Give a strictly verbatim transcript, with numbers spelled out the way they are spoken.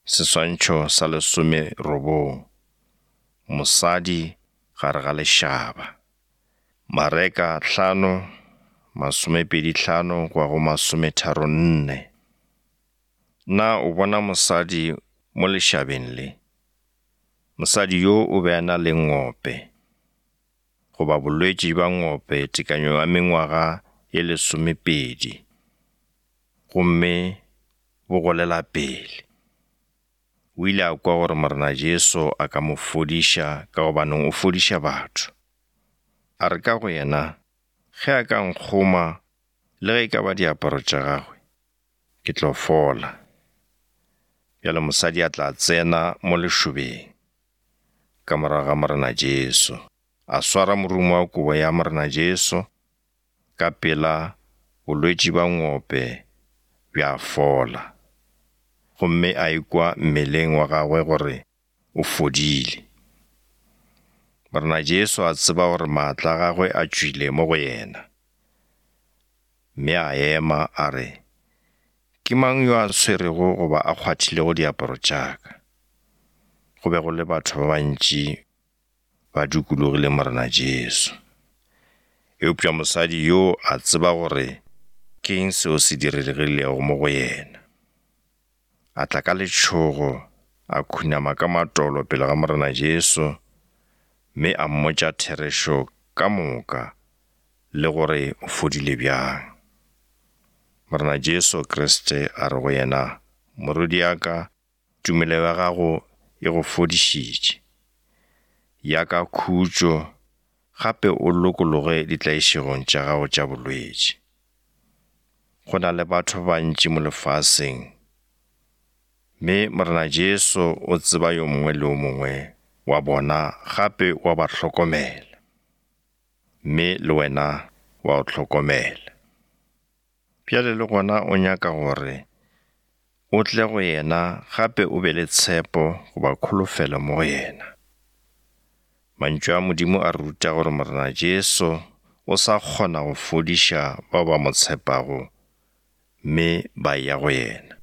Seswantšho sa lesomerobong, mosadi gare ga lešaba. Mareka hlano, masomepedi hlano go ya go masometharo nne. Na o bona mosadi mo lešabeng le? Mosadi yo o be a na le ngope, goba bolwetši bja ngope tekanyo ya mengwaga ye lesomepedi, gomme bo golela pele. O ile a kwa gore Morena Jesu a ka mo fodiša ka gobaneng o fodiša batho. A re ka go yena, ge a ka nkgoma le ge e ka ba diaparo tša gagwe, ke tlo fola. Bjale mosadi a tla tsena mo lešobeng ka morago ga Morena Jesu, a swara morumo wa kobo ya Morena Jesu, ka pela bolwetši bja ngope bja fola, gomme a ikwa mmeleng wa gagwe gore o fodile. Morena Jesu a tseba gore maatla a gagwe a tšwile mo go yena, mme a ema a re, ke mang yo a swerego goba a kgwathilego diaparo tša ka? Go be go le batho ba bantši ba dukulogile Morena Jesu. Eupša mosadi yo a tseba gore ke eng seo se diregilego mo go yena. A tla ka letšhogo, a khunama ka matolo pele ga Morena Jesu, mme a mmotša therešo ka moka le gore o fodile bjang. Morena Jesu Kriste a re go yena, morwediaka, tumelo ya gago e go fodišitše. Ya ka khutšo, gape o lokologe ditlaišegong tša gago tša bolwetši. Go na le batho ba bantši mo lefaseng, mme Morena Jesu o tseba yo mongwe le yo mongwe wa bona gape wa ba hlokomela, mme le wena wa o hlokomela. Bjale le gona o nyaka gore o tle go yena gape o be le tshepo goba kholofelo mo go yena. Mantšu a Modimo a ruta gore Morena Jesu o sa kgona go fodiša bao ba mo tshepago mme ba ya go yena.